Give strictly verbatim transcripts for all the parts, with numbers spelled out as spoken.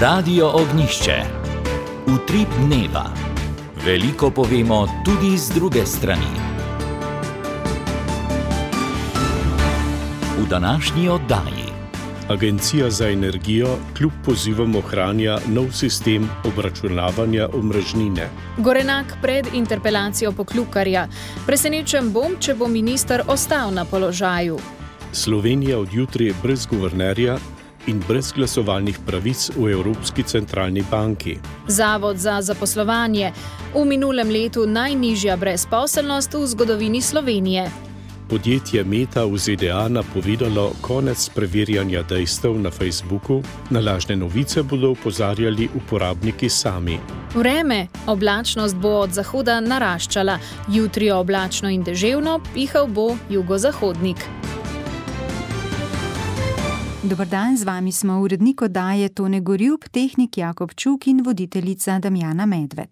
Radio Ognjišče. Utrip dneva. Veliko povemo tudi z druge strani. V današnji oddaji. Agencija za energijo kljub pozivom ohranja nov sistem obračunavanja omrežnine. Gorenak pred interpelacijo Poklukarja. Presenečen bom, če bo minister ostal na položaju. Slovenija od jutri brez guvernerja in brez glasovalnih pravic v Evropski centralni banki. Zavod za zaposlovanje. V minulem letu najnižja brezposelnost v zgodovini Slovenije. Podjetje Meta v Z D A napovedalo konec preverjanja dejstev na Facebooku, na lažne novice bodo opozarjali uporabniki sami. Vreme. Oblačnost bo od zahoda naraščala. Jutri oblačno in deževno, pihal bo jugozahodnik. Dobar dan, z vami smo urednik oddaje Tone Gorjup, tehnik Jakob Čuk in voditeljica Damjana Medved.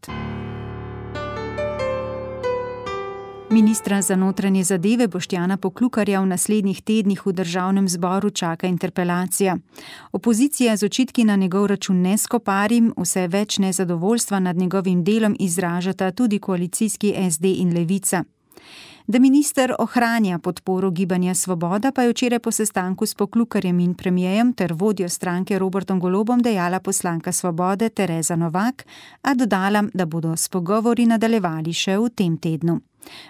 Ministra za notranje zadeve Boštjana Poklukarja v naslednjih tednih v državnem zboru čaka interpelacija. Opozicija z očitki na njegov račun ne skoparim, vse več nezadovoljstva nad njegovim delom izražata tudi koalicijski S D in Levica. Da minister ohranja podporo Gibanja Svoboda, pa je včeraj po sestanku s Poklukarjem in premijejem ter vodjo stranke Robertom Golobom dejala poslanka Svobode Tereza Novak, a dodala, da bodo s pogovori nadaljevali še v tem tednu.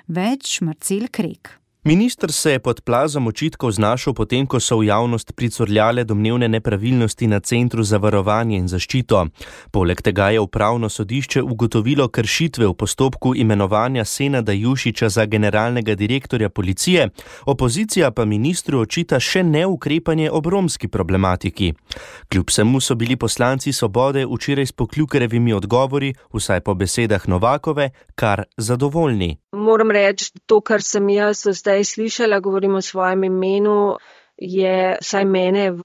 Več Marcel Krek. Minister se je pod plazom očitkov znašel potem, ko so v javnost pricurljale domnevne nepravilnosti na Centru za varovanje in zaščito. Poleg tega je upravno sodišče ugotovilo kršitve v postopku imenovanja Senada Jušića za generalnega direktorja policije, opozicija pa ministru očita še neukrepanje ob romski problematiki. Kljub vsemu so bili poslanci Svobode včeraj s Poklukarjevimi odgovori, vsaj po besedah Novakove, kar zadovoljni. Moram reči, to, kar sem jaz zdaj slišala, govorim o svojem imenu, je vsaj mene v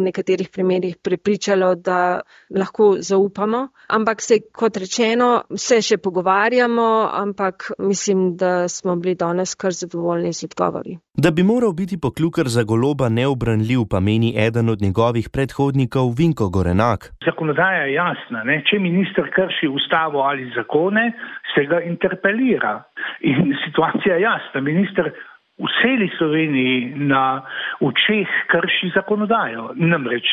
nekaterih primerih prepričalo, da lahko zaupamo. Ampak se, kot rečeno, se še pogovarjamo, ampak mislim, da smo bili danes kar zadovoljni z odgovori. Da bi moral biti Poklukar za Goloba neubranljiv, pa meni eden od njegovih predhodnikov Vinko Gorenak. Zakonodaja je jasna, ne? Če minister krši ustavo ali zakone, se ga interpelira. In situacija je jasna. Minister v celi Sloveniji na očeh krši zakonodajo. Namreč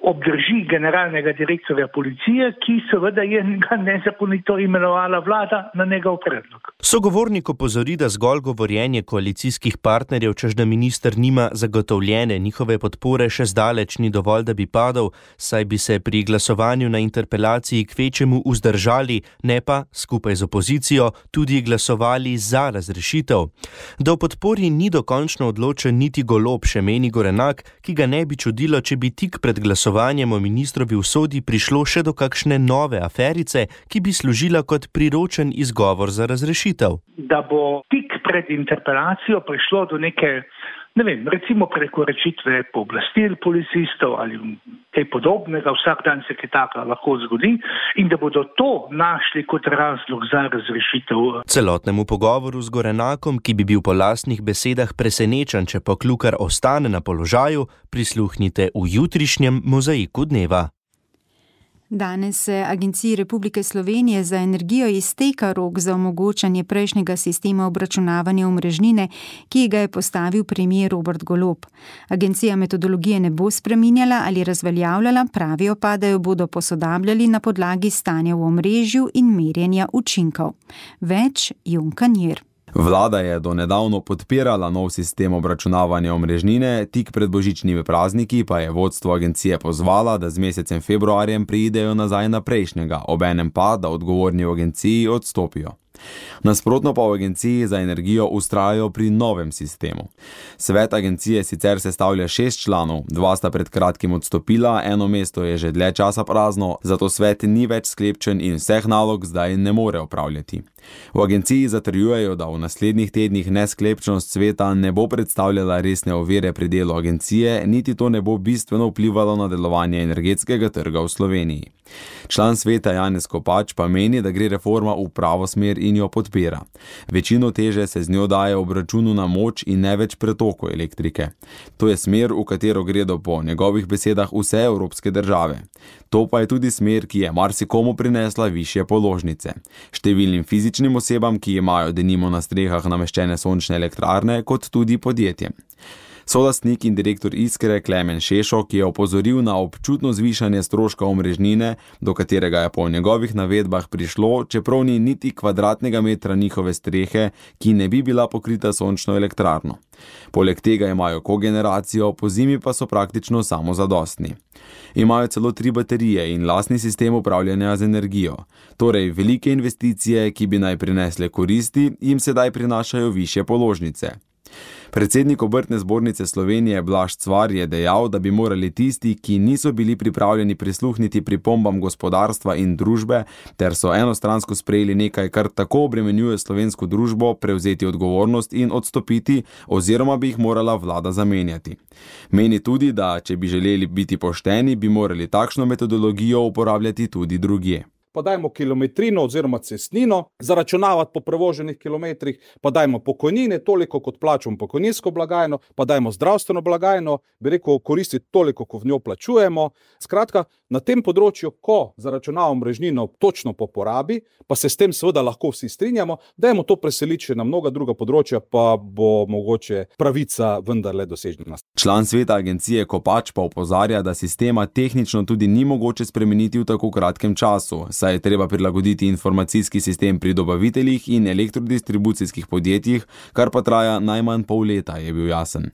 obdrži generalnega direktorja policije, ki seveda je ga nezakonito imenovala vlada na njegov predlog. Sogovornik opozori, da zgolj govorjenje koalicijskih partnerjev, češ da minister nima zagotovljene njihove podpore, še zdaleč ni dovolj, da bi padel, saj bi se pri glasovanju na interpelaciji kvečemu vzdržali, ne pa, skupaj z opozicijo, tudi glasovali za razrešitev. Da v podpori ni dokončno odločen niti Golob, še meni Gorenak, ki ga ne bi čudilo, če bi tik pred glasovanjem o ministrovi usodi prišlo še do kakšne nove aferice, ki bi služila kot priročen izgovor za razrešitev. Da bo tik pred interpelacijo prišlo do neke, ne vem, recimo prekoračitve pooblastil policistov ali kaj podobnega, vsak dan se kaj taka lahko zgodi, in da bodo to našli kot razlog za razrešitev. Celotnemu pogovoru z Gorenakom, ki bi bil po lastnih besedah presenečen, če Poklukar ostane na položaju, prisluhnite v jutrišnjem Mozaiku dneva. Danes se Agenciji Republike Slovenije za energijo izteka rok za omogočanje prejšnjega sistema obračunavanja omrežnine, ki ga je postavil premier Robert Golob. Agencija metodologije ne bo spreminjala ali razveljavljala, pravijo pa, da jo bodo posodabljali na podlagi stanja v omrežju in merjenja učinkov. Več Jon Kanjer. Vlada je do nedavno podpirala nov sistem obračunavanja omrežnine, tik pred božičnimi prazniki pa je vodstvo agencije pozvala, da z mesecem februarjem pridejo nazaj na prejšnjega, obenem pa, da odgovorni v agenciji odstopijo. Nasprotno pa v Agenciji za energijo vztrajajo pri novem sistemu. Svet agencije sicer sestavlja šest članov, dva sta pred kratkim odstopila, eno mesto je že dlje časa prazno, zato svet ni več sklepčen in vseh nalog zdaj ne more opravljati. V agenciji zatrjujejo, da v naslednjih tednih nesklepčnost sveta ne bo predstavljala resne ovire pri delu agencije, niti to ne bo bistveno vplivalo na delovanje energetskega trga v Sloveniji. Član sveta Janez Kopač pa meni, da gre reforma v pravo smer in jo podpira. Večino teže se z njo daje ob računu na moč in ne več pretoku elektrike. To je smer, v katero gredo po njegovih besedah vse evropske države. To pa je tudi smer, ki je marsikomu prinesla višje položnice. Številnim fizičnim osebam, ki imajo denimo na strehah nameščene sončne elektrarne, kot tudi podjetjem. Solastnik in direktor Iskre Klemen Šešo, ki je opozoril na občutno zvišanje stroška omrežnine, do katerega je po njegovih navedbah prišlo, čeprav ni niti kvadratnega metra njihove strehe, ki ne bi bila pokrita sončno elektrarno. Poleg tega imajo kogeneracijo, po zimi pa so praktično samozadostni. Imajo celo tri baterije in lastni sistem upravljanja z energijo. Torej, velike investicije, ki bi naj prinesle koristi, jim sedaj prinašajo višje položnice. Predsednik Obrtne zbornice Slovenije Blaž Cvar je dejal, da bi morali tisti, ki niso bili pripravljeni prisluhniti pripombam gospodarstva in družbe, ter so enostransko sprejeli nekaj, kar tako obremenjuje slovensko družbo, prevzeti odgovornost in odstopiti, oziroma bi jih morala vlada zamenjati. Meni tudi, da če bi želeli biti pošteni, bi morali takšno metodologijo uporabljati tudi drugje. Pa dajmo kilometrino oziroma cestnino, zaračunavati po prevoženih kilometrih, pa dajmo pokojnine, toliko kot plačamo pokojninsko blagajno, pa dajmo zdravstveno blagajno, bi rekel, koristiti toliko, ko v njo plačujemo. Skratka, na tem področju, ko zaračunavamo omrežnino točno po porabi, pa se s tem seveda lahko vsi strinjamo, dajmo to preseliti še na mnoga druga področja, pa bo mogoče pravica vendarle dosežena. Član sveta agencije Kopač pa opozarja, da sistema tehnično tudi ni mogoče spremeniti v tako kratkem času, saj je treba prilagoditi informacijski sistem pri dobaviteljih in elektrodistribucijskih podjetjih, kar pa traja najmanj pol leta, je bil jasen.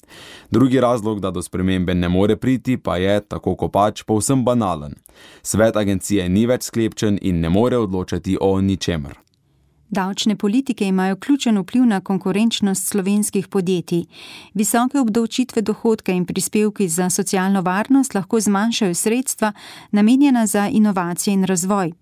Drugi razlog, da do spremembe ne more priti, pa je, tako Kopač, povsem banalen. Svet agencije ni več sklepčen in ne more odločati o ničemer. Davčne politike imajo ključen vpliv na konkurenčnost slovenskih podjetij. Visoke obdavčitve dohodka in prispevki za socialno varnost lahko zmanjšajo sredstva, namenjena za inovacije in razvoj.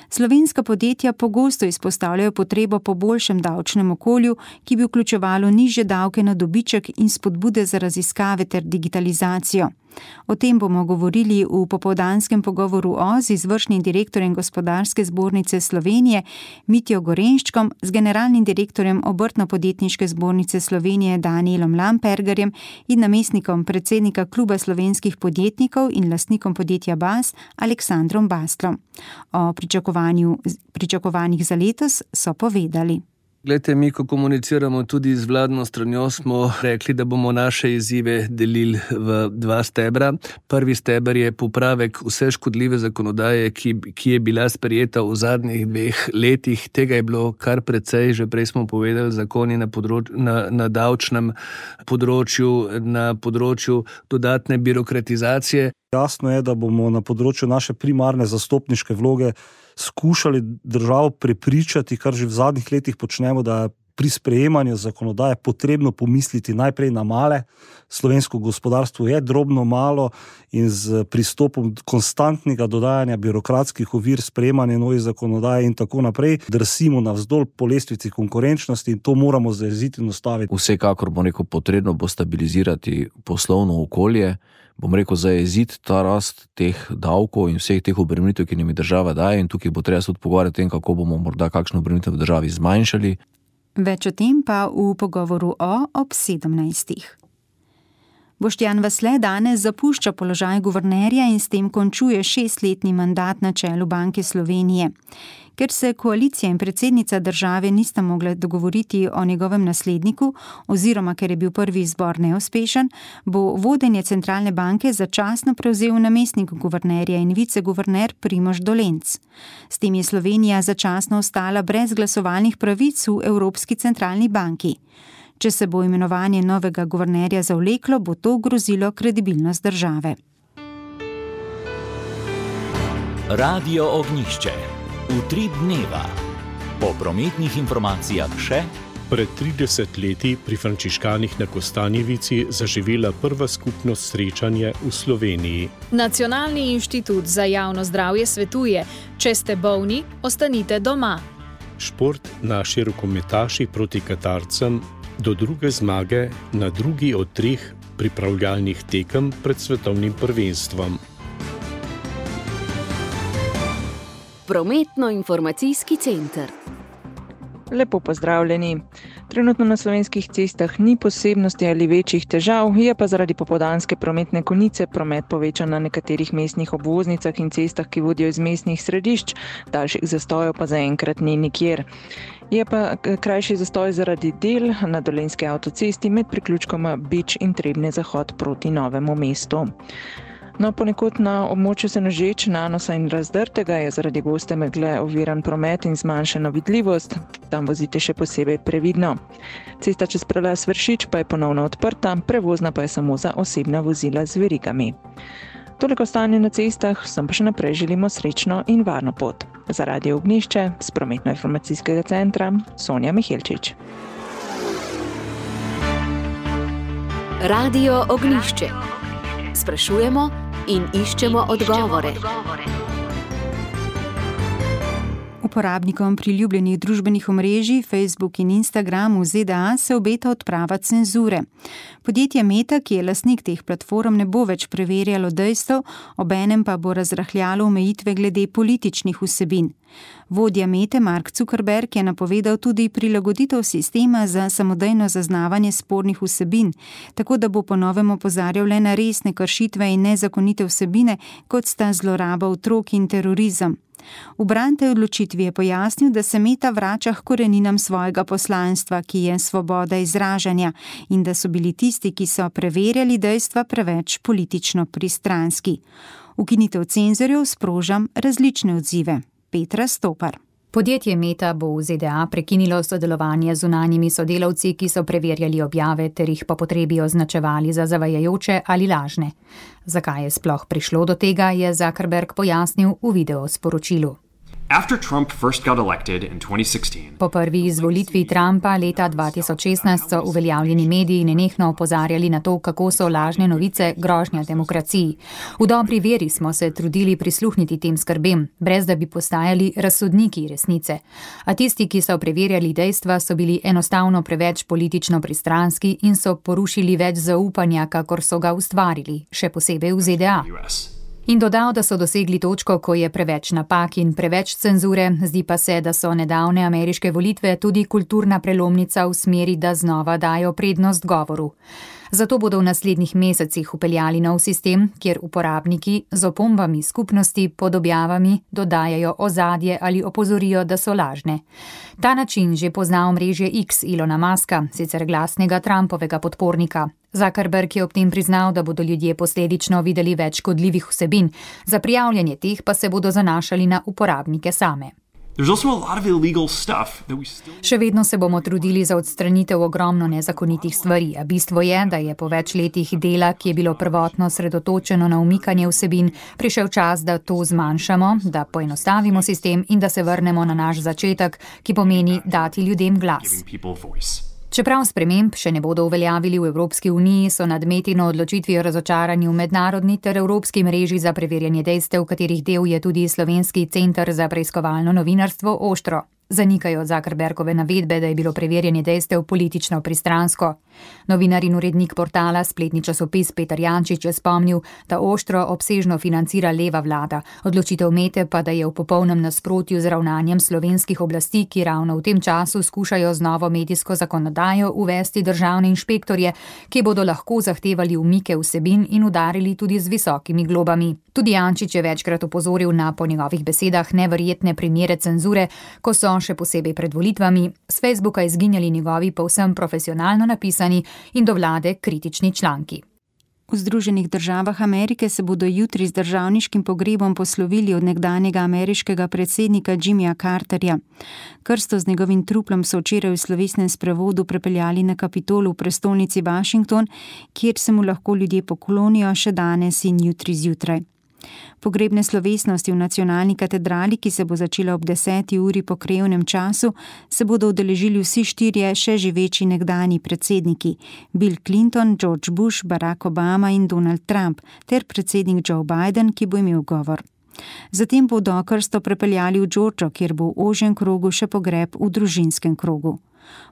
Slovenska podjetja pogosto izpostavljajo potrebo po boljšem davčnem okolju, ki bi vključevalo nižje davke na dobiček in spodbude za raziskave ter digitalizacijo. O tem bomo govorili v popoldanskem pogovoru o z izvršnim direktorjem Gospodarske zbornice Slovenije Mitjo Gorenščkom, z generalnim direktorjem Obrtno-podjetniške zbornice Slovenije Danielom Lampergerjem in namestnikom predsednika Kluba slovenskih podjetnikov in lastnikom podjetja Bas Aleksandrom Bastlom. O pričakovanju, pričakovanjih za letos so povedali. Glejte, mi, ko komuniciramo tudi z vladno stranjo, smo rekli, da bomo naše izzive delili v dva stebra. Prvi steber je popravek vse škodljive zakonodaje, ki, ki je bila sprejeta v zadnjih dveh letih. Tega je bilo kar precej, že prej smo povedali, zakoni na, področ, na, na davčnem področju, na področju dodatne birokratizacije. Jasno je, da bomo na področju naše primarne zastopniške vloge skušali državo prepričati, kar že v zadnjih letih počnemo, da je pri sprejemanju zakonodaje potrebno pomisliti najprej na male. Slovensko gospodarstvo je drobno malo in z pristopom konstantnega dodajanja birokratskih ovir, sprejemanja novih zakonodaje in tako naprej drsimo navzdol po lestvici konkurenčnosti in to moramo zajeziti in ustaviti. Vsekakor bo rekel, potrebno bo stabilizirati poslovno okolje, bom rekel, zajeziti ta rast teh davkov in vseh teh obremenitev, ki nam jih država daje, in tukaj bo treba se tudi pogovarjati o tem, kako bomo morda kakšno obremenitev v državi zmanjšali. Več o tem pa v pogovoru o ob sedemnajstih. Boštjan Vasle danes zapušča položaj guvernerja in s tem končuje šestletni mandat na čelu Banke Slovenije. Ker se koalicija in predsednica države nista mogle dogovoriti o njegovem nasledniku oziroma ker je bil prvi izbor neuspešen, bo vodenje centralne banke začasno prevzel namestnik guvernerja in viceguverner Primož Dolenc. S tem je Slovenija začasno ostala brez glasovalnih pravic v Evropski centralni banki. Če se bo imenovanje novega guvernerja zavleklo, bo to grozilo kredibilnost države. Radio Ognjišče. Utrip dneva. Po prometnih informacijah še. Pred trideset leti pri frančiškanih na Kostanjevici zaživela prva skupnost srečanje v Sloveniji. Nacionalni inštitut za javno zdravje svetuje, če ste bolni, ostanite doma. Šport, naši rokometaši proti Katarcem do druge zmage na drugi od treh pripravljalnih tekem pred svetovnim prvenstvom. Prometno-informacijski center. Lepo pozdravljeni. Trenutno na slovenskih cestah ni posebnosti ali večjih težav, je pa zaradi popoldanske prometne konice promet povečan na nekaterih mestnih obvoznicah in cestah, ki vodijo iz mestnih središč, daljših zastojev pa zaenkrat ni nikjer. Je pa krajši zastoj zaradi del na Dolenjski avtocesti med priključkoma Bič in Trebnje zahod proti Novemu mestu. No, ponekod na območju Senožeč, Nanosa in Razdrtega je zaradi goste megle oviran promet in zmanjšana vidljivost. Tam vozite še posebej previdno. Cesta čez prelaz Vršič pa je ponovno odprta, prevozna pa je samo za osebna vozila z verigami. Toliko stanje na cestah, vsem pa še naprej želimo srečno in varno pot. Za Radio Ognjišče z Prometno-informacijskega centra Sonja Mihelčič. Radio Ognjišče. Sprašujemo in iščemo odgovore. Uporabnikom priljubljenih družbenih omrežij Facebook in Instagram v Z D A se obeta odprava cenzure. Podjetje Meta, ki je lastnik teh platform, ne bo več preverjalo dejstev, obenem pa bo razrahljalo omejitve glede političnih vsebin. Vodja Mete Mark Zuckerberg je napovedal tudi prilagoditev sistema za samodejno zaznavanje spornih vsebin, tako da bo po novem opozarjal le na resne kršitve in nezakonite vsebine, kot sta zloraba otrok in terorizem. V bran tej odločitvi je pojasnil, da se Meta vrača k koreninam svojega poslanstva, ki je svoboda izražanja, in da so bili tisti, ki so preverjali dejstva, preveč politično pristranski. Ukinitev cenzorjev sproža različne odzive. Petra Stopar. Podjetje Meta bo v Z D A prekinilo sodelovanje z zunanjimi sodelavci, ki so preverjali objave ter jih po potrebi označevali za zavajajoče ali lažne. Zakaj je sploh prišlo do tega, je Zuckerberg pojasnil v videosporočilu. Po prvi izvolitvi Trumpa leta dva tisoč šestnajst so uveljavljeni mediji nenehno opozarjali na to, kako so lažne novice grožnja demokraciji. V dobri veri smo se trudili prisluhniti tem skrbem, brez da bi postajali razsodniki resnice. A tisti, ki so preverjali dejstva, so bili enostavno preveč politično pristranski in so porušili več zaupanja, kakor so ga ustvarili, še posebej v Z D A. In dodal, da so dosegli točko, ko je preveč napak in preveč cenzure, zdi pa se, da so nedavne ameriške volitve tudi kulturna prelomnica v smeri, da znova dajo prednost govoru. Zato bodo v naslednjih mesecih upeljali nov sistem, kjer uporabniki z opombami skupnosti pod objavami dodajajo ozadje ali opozorijo, da so lažne. Ta način že pozna omrežje X Elona Muska, sicer glasnega Trumpovega podpornika. Zuckerberg je ob tem priznal, da bodo ljudje posledično videli več škodljivih vsebin, za prijavljanje teh pa se bodo zanašali na uporabnike same. Še vedno se bomo trudili za odstranitev ogromno nezakonitih stvari, a bistvo je, da je po več letih dela, ki je bilo prvotno sredotočeno na umikanje vsebin, prišel čas, da to zmanjšamo, da poenostavimo sistem in da se vrnemo na naš začetek, ki pomeni dati ljudem glas. Čeprav sprememb še ne bodo uveljavili v Evropski uniji, so nad Metino odločitvijo razočarani v mednarodni ter evropski mreži za preverjanje dejstev, katerih del je tudi Slovenski center za preiskovalno novinarstvo Oštro. Zanikajo Zuckerbergove navedbe, da je bilo preverjanje dejstev politično pristransko. Novinar in urednik portala Spletni časopis Peter Jančič je spomnil, da Oštro obsežno financira leva vlada, odločitev Mete pa, da je v popolnem nasprotju z ravnanjem slovenskih oblasti, ki ravno v tem času skušajo z novo medijsko zakonodajo uvesti državne inšpektorje, ki bodo lahko zahtevali umike vsebin in udarili tudi z visokimi globami. Tudi Jančič je večkrat opozoril na, po njegovih besedah, neverjetne primere cenzure, ko so še posebej pred volitvami s Facebooka izginjali njegovi povsem profesionalno napisani in do vlade kritični članki. V Združenih državah Amerike se bodo jutri z državniškim pogrebom poslovili od nekdanjega ameriškega predsednika Jimmyja Carterja. Krsto z njegovim truplom so včeraj v slovesnem sprevodu prepeljali na Kapitol v prestolnici Washington, kjer se mu lahko ljudje poklonijo še danes in jutri zjutraj. Pogrebne slovesnosti v nacionalni katedrali, ki se bo začela ob deseti uri po krajevnem času, se bodo udeležili vsi štirje še živeči nekdanji predsedniki: Bill Clinton, George Bush, Barack Obama in Donald Trump, ter predsednik Joe Biden, ki bo imel govor. Zatem bodo krsto prepeljali v Džordžo, kjer bo v ožjem krogu še pogreb v družinskem krogu.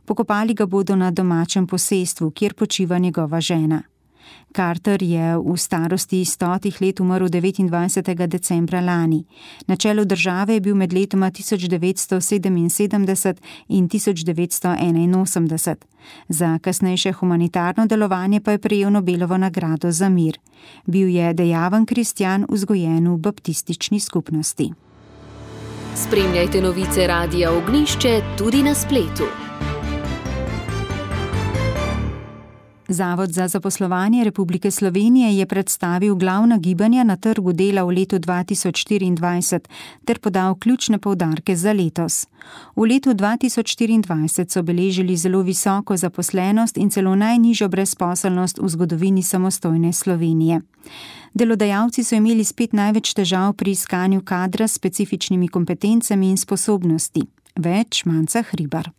Pokopali ga bodo na domačem posestvu, kjer počiva njegova žena. Carter je v starosti stotih let umrl devetindvajsetega decembra lani. Na čelu države je bil med letoma tisoč devetsto sedeminsedemdeset in tisoč devetsto enainosemdeset. Za kasnejše humanitarno delovanje pa je prejel Nobelovo nagrado za mir. Bil je dejaven kristjan, vzgojen v baptistični skupnosti. Spremljajte novice Radia Ognjišče tudi na spletu. Zavod za zaposlovanje Republike Slovenije je predstavil glavna gibanja na trgu dela v letu dva tisoč štiriindvajset ter podal ključne poudarke za letos. V letu dva tisoč štiriindvajset so beležili zelo visoko zaposlenost in celo najnižjo brezposelnost v zgodovini samostojne Slovenije. Delodajalci so imeli spet največ težav pri iskanju kadra s specifičnimi kompetencami in sposobnosti. Več Manca Hribar.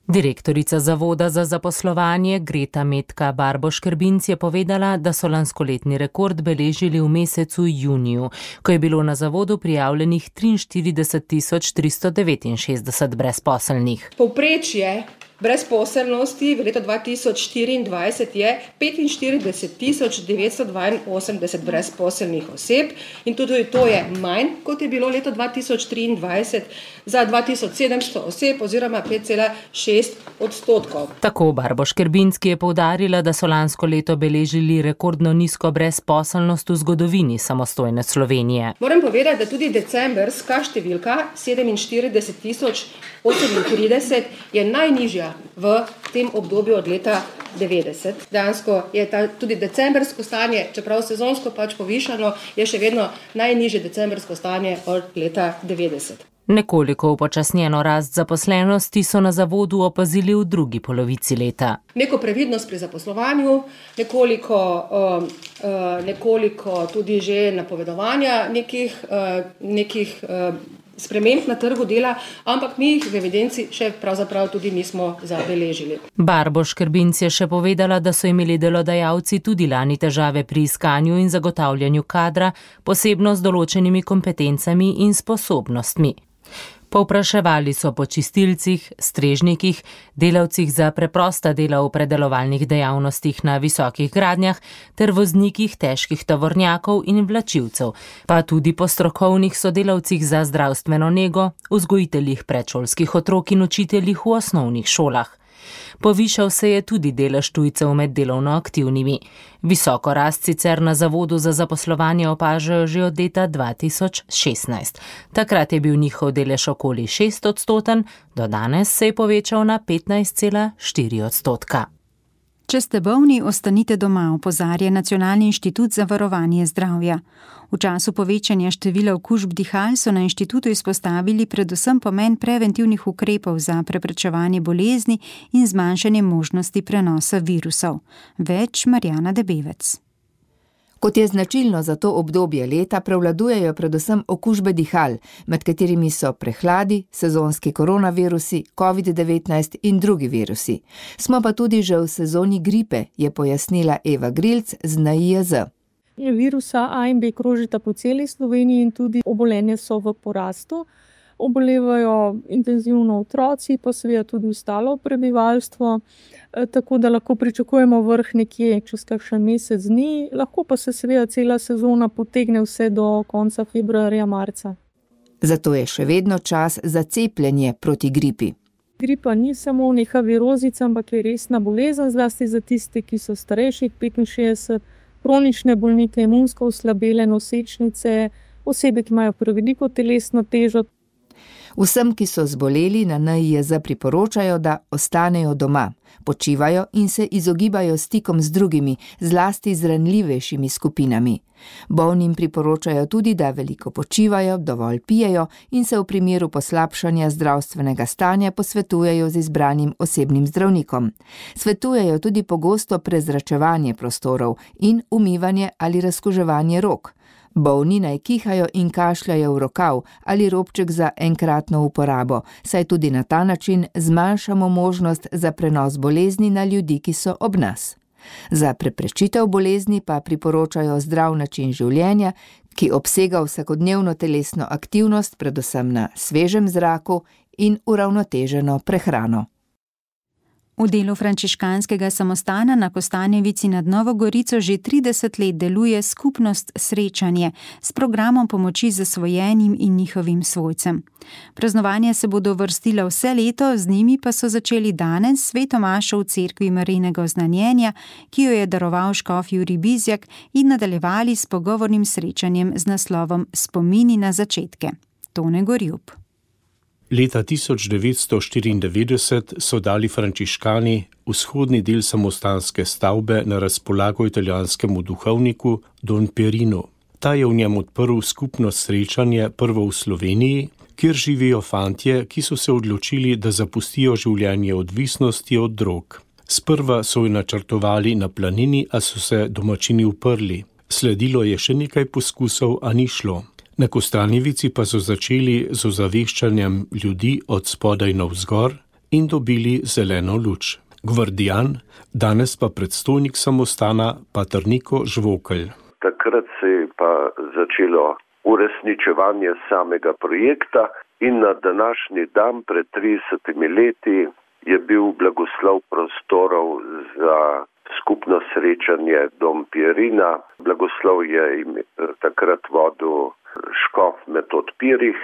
Direktorica Zavoda za zaposlovanje Greta Metka Barboš-Krbinc je povedala, da so lanskoletni rekord beležili v mesecu juniju, ko je bilo na zavodu prijavljenih triinštirideset tisoč tristo devetinšestdeset brezposelnih. Povprečje brezposelnosti v letu dva tisoč štiriindvajset je petinštirideset tisoč devetsto dvainosemdeset brezposelnih oseb in tudi to je manj, kot je bilo leto dva tisoč triindvajset za dva tisoč sedemsto oseb oziroma pet cela šest odstotkov. Tako Barboš-Krbinc, ki je poudarila, da so lansko leto beležili rekordno nizko brezposelnost v zgodovini samostojne Slovenije. Moram povedati, da tudi decembrska številka sedeminštirideset tisoč osemintrideset je najnižja v tem obdobju od leta devetdeset. Dejansko je ta, tudi decembrsko stanje, čeprav sezonsko pač povišano, je še vedno najnižje decembrsko stanje od leta devetdeset. Nekoliko upočasnjeno rast zaposlenosti so na zavodu opazili v drugi polovici leta. Neko previdnost pri zaposlovanju, nekoliko, uh, uh, nekoliko tudi že napovedovanja nekih, uh, nekih uh, sprememb na trgu dela, ampak mi jih v evidenci še pravzaprav tudi nismo zabeležili. Barboš-Krbinc je še povedala, da so imeli delodajalci tudi lani težave pri iskanju in zagotavljanju kadra, posebno z določenimi kompetencami in sposobnostmi. Povpraševali so po čistilcih, strežnikih, delavcih za preprosta dela v predelovalnih dejavnostih na visokih gradnjah ter voznikih težkih tovornjakov in vlačilcev, pa tudi po strokovnih sodelavcih za zdravstveno nego, vzgojiteljih predšolskih otrok in učiteljih v osnovnih šolah. Povišal se je tudi delež tujcev med delovno aktivnimi. Visoko rast sicer na Zavodu za zaposlovanje opažajo že od leta dva tisoč šestnajst. Takrat je bil njihov delež okoli šest odstoten, do danes se je povečal na petnajst cela štiri odstotka. Če ste bolni, ostanite doma, opozarja Nacionalni inštitut za varovanje zdravja. V času povečanja števila okužb dihal so na inštitutu izpostavili predvsem pomen preventivnih ukrepov za preprečevanje bolezni in zmanjšanje možnosti prenosa virusov. Več Marjana Debevec. Kot je značilno za to obdobje leta, prevladujejo predvsem okužbe dihal, med katerimi so prehladi, sezonski koronavirusi, covid devetnajst in drugi virusi. Smo pa tudi že v sezoni gripe, je pojasnila Eva Grilc z N I J Z. Virusa A in B krožita po celi Sloveniji in tudi obolenje so v porastu. Obolevajo intenzivno otroci, pa seveda tudi ostalo prebivalstvo, tako da lahko pričakujemo vrh nekje čez kakšen mesec dni, lahko pa se seveda cela sezona potegne vse do konca februarja, marca. Zato je še vedno čas za cepljenje proti gripi. Gripa ni samo neka virozica, ampak je resna bolezen, zlasti za tiste, ki so starejši petinšestdeset, kronične bolnike, imunsko oslabele, nosečnice, osebe, ki imajo preveliko telesno težo. Vsem, ki so zboleli, na N I J Z priporočajo, da ostanejo doma, počivajo in se izogibajo stikom z drugimi, zlasti z ranljivejšimi skupinami. Bolnim priporočajo tudi, da veliko počivajo, dovolj pijejo in se v primeru poslabšanja zdravstvenega stanja posvetujejo z izbranim osebnim zdravnikom. Svetujejo tudi pogosto prezračevanje prostorov in umivanje ali razkuževanje rok. Bolni naj kihajo in kašljajo v rokav ali robček za enkratno uporabo, saj tudi na ta način zmanjšamo možnost za prenos bolezni na ljudi, ki so ob nas. Za preprečitev bolezni pa priporočajo zdrav način življenja, ki obsega vsakodnevno telesno aktivnost, predvsem na svežem zraku in uravnoteženo prehrano. V delu frančiškanskega samostana na Kostanjevici nad Novo Gorico že trideset let deluje skupnost Srečanje s programom pomoči zasvojenim in njihovim svojcem. Praznovanja se bodo vrstila vse leto, z njimi pa so začeli danes sveto mašo v cerkvi Marijinega oznanjenja, ki jo je daroval škof Jurij Bizjak, in nadaljevali s pogovornim srečanjem z naslovom Spomini na začetke. Tone Gorjub. Leta tisoč devetsto štiriindevetdeset so dali frančiškani vzhodni del samostanske stavbe na razpolago italijanskemu duhovniku Don Pierinu. Ta je v njem odprl skupnost Srečanje prvo v Sloveniji, kjer živijo fantje, ki so se odločili, da zapustijo življenje odvisnosti od drog. Sprva so jo načrtovali na planini, a so se domačini uprli. Sledilo je še nekaj poskusov, a ni šlo. Na Kostanjevici pa so začeli z ozaveščanjem ljudi od spodaj navzgor in dobili zeleno luč. Gvardijan, danes pa predstojnik samostana pater Niko Žvokelj. Takrat se je pa začelo uresničevanje samega projekta in na današnji dan pred tridesetimi leti je bil blagoslov prostorov za skupno Srečanje Dom Pierina. Blagoslov je takrat vodil škof Metod Pirih.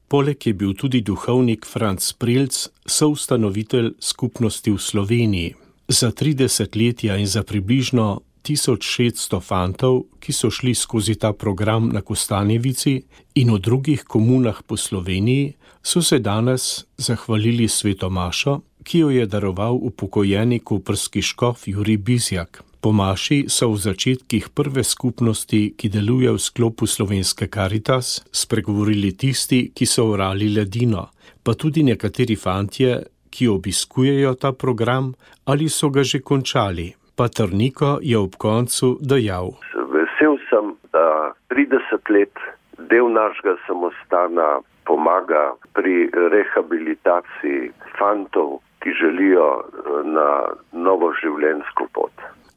Poleg je bil tudi duhovnik Franc Prelc, soustanovitelj skupnosti v Sloveniji. Za trideset letja in za približno tisoč šeststo fantov, ki so šli skozi ta program na Kostanjevici in v drugih komunah po Sloveniji, so se danes zahvalili sveto mašo, ki jo je daroval upokojeni koprski škof Jurij Bizjak. Po maši so v začetkih prve skupnosti, ki deluje v sklopu Slovenske Karitas, spregovorili tisti, ki so orali ledino, pa tudi nekateri fantje, ki obiskujejo ta program ali so ga že končali. Pater Niko je ob koncu dejal: Vesel sem, da trideset let del našega samostana pomaga pri rehabilitaciji fantov, ki želijo na novo življenjsko pot.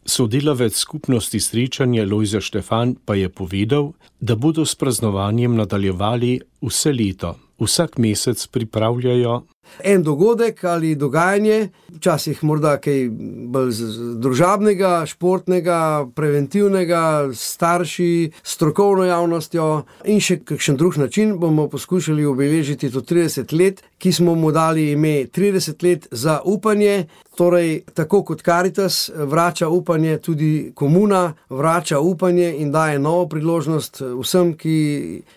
Sodelavec skupnosti Srečanje Lojze Štefan pa je povedal, da bodo s praznovanjem nadaljevali vse leto. Vsak mesec pripravljajo en dogodek ali dogajanje, včasih morda kaj bolj družabnega, športnega, preventivnega, starši, strokovno javnostjo in še kakšen drug način bomo poskušali obeležiti to trideset let, ki smo mu dali ime trideset let za upanje. Torej, tako kot Karitas vrača upanje, tudi komuna vrača upanje in daje novo priložnost vsem, ki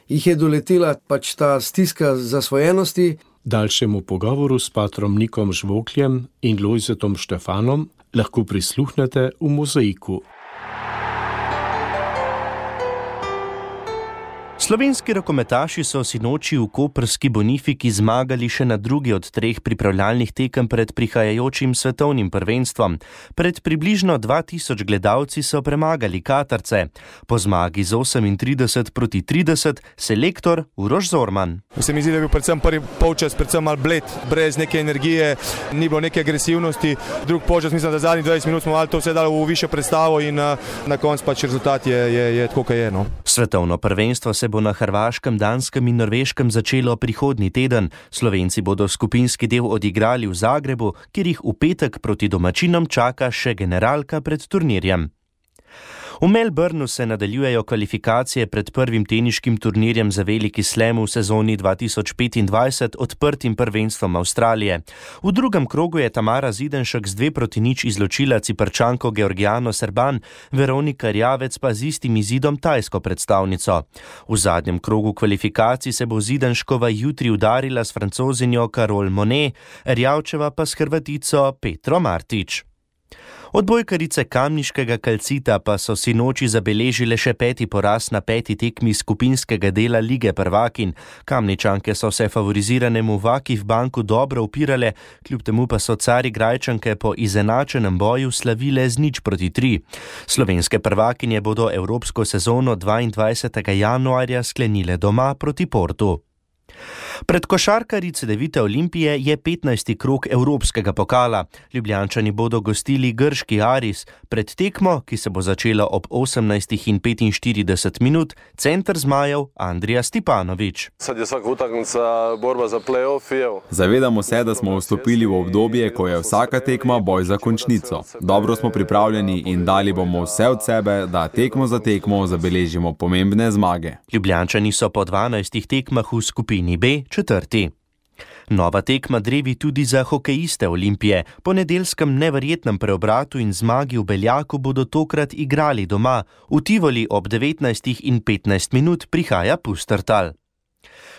jih je doletela pač ta stiska zasvojenosti. Daljšemu pogovoru s patrom Nikom Žvokljem in Lojzetom Štefanom lahko prisluhnete v Mozaiku. Slovenski rokometaši so sinoči v koprski Bonifiki zmagali še na drugi od treh pripravljalnih tekem pred prihajajočim svetovnim prvenstvom. Pred približno dva tisoč gledalci so premagali Katarce. Po zmagi z osemintrideset proti trideset selektor Uroš Zorman. Se mi zdi, da je bil predvsem prvi polčas predvsem malo bled, brez neke energije, ni bilo neke agresivnosti. Drug polčas, mislim, da zadnjih dvajset minut smo malo to vse dali v višjo predstavo in na koncu pač rezultat je, je, je tako, kaj je. No. Svetovno prvenstvo se bo na Hrvaškem, Danskem in Norveškem začelo prihodnji teden. Slovenci bodo skupinski del odigrali v Zagrebu, kjer jih v petek proti domačinom čaka še generalka pred turnirjem. V Melbourneu se nadaljujejo kvalifikacije pred prvim teniškim turnirjem za veliki slam v sezoni dva tisoč petindvajset odprtim prvenstvom Avstralije. V drugem krogu je Tamara Zidenšek z dve proti nič izločila Ciprčanko Georgijano Serban, Veronika Rjavec pa z istim izidom tajsko predstavnico. V zadnjem krogu kvalifikacij se bo Zidenškova jutri udarila s Francozinjo Carole Monet, Rjavčeva pa s Hrvatico Petro Martič. Odbojkarice kamniškega Kalcita pa so sinoči zabeležile še peti poraz na peti tekmi skupinskega dela Lige prvakinj. Kamničanke so se favoriziranemu Vakif Banku dobro upirale, kljub temu pa so Carigrajčanke po izenačenem boju slavile z nič proti tri. Slovenske prvakinje bodo evropsko sezono dvaindvajsetega januarja sklenile doma proti Portu. Pred košarkarji Cedevite Olimpije je petnajsti krog Evropskega pokala. Ljubljančani bodo gostili grški Aris. Pred tekmo, ki se bo začela ob osemnajstih in petinštirideset minut, center zmajev Andrija Stipanović. Sad je svaka utakmica borba za play-off. Zavedamo se, da smo vstopili v obdobje, ko je vsaka tekma boj za končnico. Dobro smo pripravljeni in dali bomo vse od sebe, da tekmo za tekmo zabeležimo pomembne zmage. Ljubljančani so po dvanajstih tekmah v skupini B četrti. Nova tekma drevi tudi za hokejiste Olimpije. Po nedeljskem neverjetnem preobratu in zmagi v Beljaku bodo tokrat igrali doma. V Tivoli ob devetnajstih in petnajst minut prihaja Pustertal.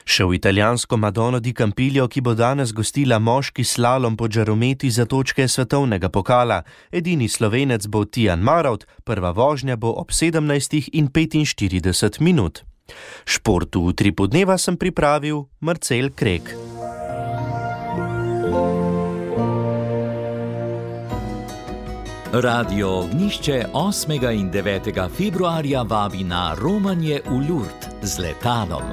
Še v italijansko Madono di Campiglio, ki bo danes gostila moški slalom po žarometi za točke svetovnega pokala. Edini Slovenec bo Tijan Marovt, prva vožnja bo ob sedemnajstih in petinštirideset minut. Športu v Utripu dneva sem pripravil Marcel Krek. Radio Ognišče osmega in devetega februarja vabi na romanje v Lourdes z letalom.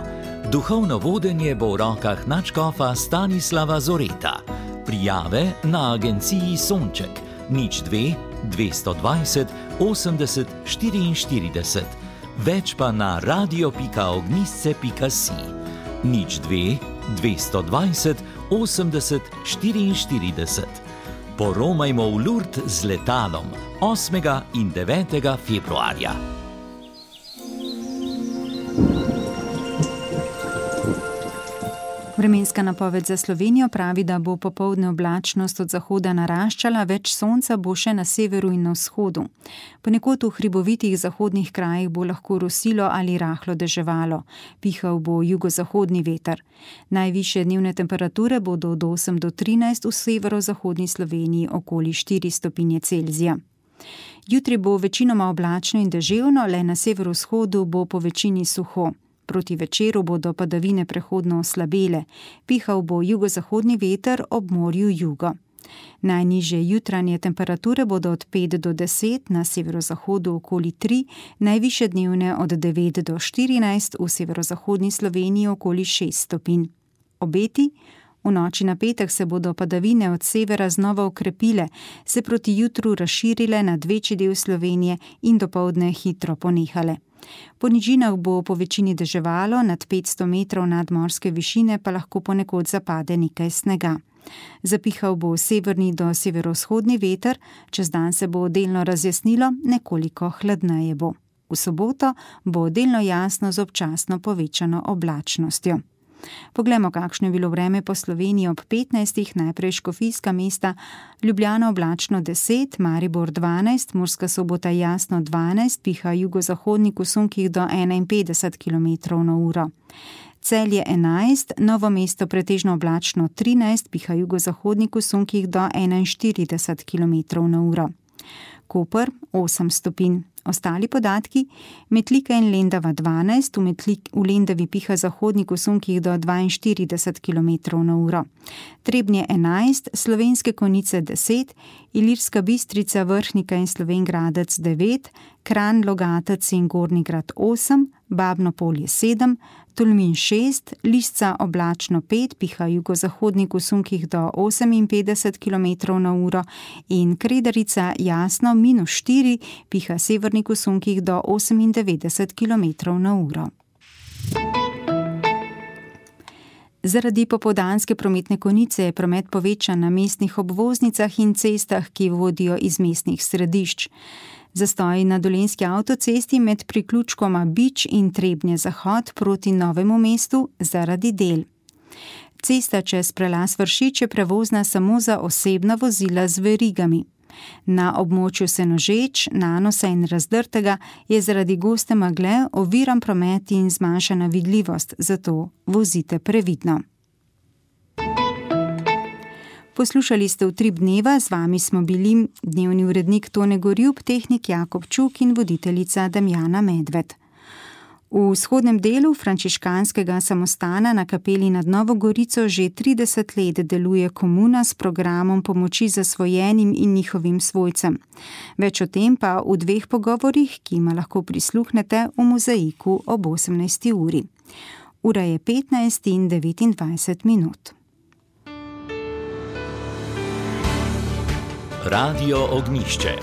Duhovno vodenje bo v rokah nadškofa Stanislava Zoreta. Prijave na agenciji Sonček nič dve dvesto dvajset osemdeset štiriinštirideset. Več pa na radio pika ognisce pika si. nič dve dvesto dvajset osemdeset štiriinštirideset. Poromajmo v Lourdes z letalom osmega in devetega februarja. Vremenska napoved za Slovenijo pravi, da bo popoldne oblačnost od zahoda naraščala, več sonca bo še na severu in na vzhodu. Ponekod v hribovitih zahodnih krajih bo lahko rosilo ali rahlo deževalo. Pihal bo jugozahodni veter. Najvišje dnevne temperature bodo od osem do trinajst, v severozahodni Sloveniji okoli štiri stopinje Celzija. Jutri bo večinoma oblačno in deževno, le na severovzhodu bo po večini suho. Proti večeru bodo padavine prehodno oslabele. Pihal bo jugozahodni veter, ob morju jugo. Najnižje jutranje temperature bodo od pet do deset, na severozahodu okoli tri, najvišje dnevne od devet do štirinajst, v severozahodni Sloveniji okoli šest stopinj. Obeti? V noči na petek se bodo padavine od severa znova okrepile, se proti jutru razširile nad večji del Slovenije in dopoldne hitro ponehale. Po nižinah bo po večini deževalo, nad petsto metrov nadmorske višine pa lahko ponekod zapade nekaj snega. Zapihal bo severni do severovzhodni veter, čez dan se bo delno razjasnilo, nekoliko hladneje bo. V soboto bo delno jasno z občasno povečano oblačnostjo. Poglejmo, kakšno je bilo vreme po Sloveniji ob petnajstih, najprej Škofijska mesta, Ljubljana oblačno deset, Maribor dvanajst, Murska Sobota jasno dvanajst, piha jugozahodnik v sunkih do enainpetdeset kilometrov na uro. Celje enajst, Novo mesto pretežno oblačno trinajst, piha jugozahodnik v sunkih do enainštirideset kilometrov na uro. Koper osem stopinj. Ostali podatki: Metlika in Lendava dvanajst, v, Metlik, v Lendavi piha zahodnik v sunkih do dvainštirideset kilometrov na uro. Trebnje enajst, Slovenske Konjice deset, Ilirska Bistrica, Vrhnika in Slovenj Gradec devet, Kranj, Logatec in Gornji Grad osem, Babno Polje sedem, Tolmin šest, Lisca oblačno pet, piha jugozahodnik v sunkih do oseminpetdeset kilometrov na uro in Kredarica jasno minus štiri, piha severnik v sunkih do osemindevetdeset kilometrov na uro. Zaradi popoldanske prometne konice je promet povečan na mestnih obvoznicah in cestah, ki vodijo iz mestnih središč. Zastoji na Dolenjski avtocesti med priključkoma Bič in Trebnje Zahod proti Novemu mestu zaradi del. Cesta čez prelaz Vršič je prevozna samo za osebna vozila z verigami. Na območju Senožeč, Nanosa in Razdrtega je zaradi goste megle oviran promet in zmanjšana vidljivost, zato vozite previdno. Poslušali ste Utrip dneva, z vami smo bili dnevni urednik Tone Gorjup, tehnik Jakob Čuk in voditeljica Damjana Medved. V vzhodnem delu frančiškanskega samostana na kapeli nad Novo Gorico že trideset let deluje komuna s programom pomoči zasvojenim in njihovim svojcem. Več o tem pa v dveh pogovorih, ki jima lahko prisluhnete v mozaiku ob osemnajsti uri. Ura je petnajst in devetindvajset minut. Radio Ognišče.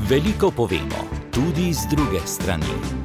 Veliko povemo, tudi z druge strani.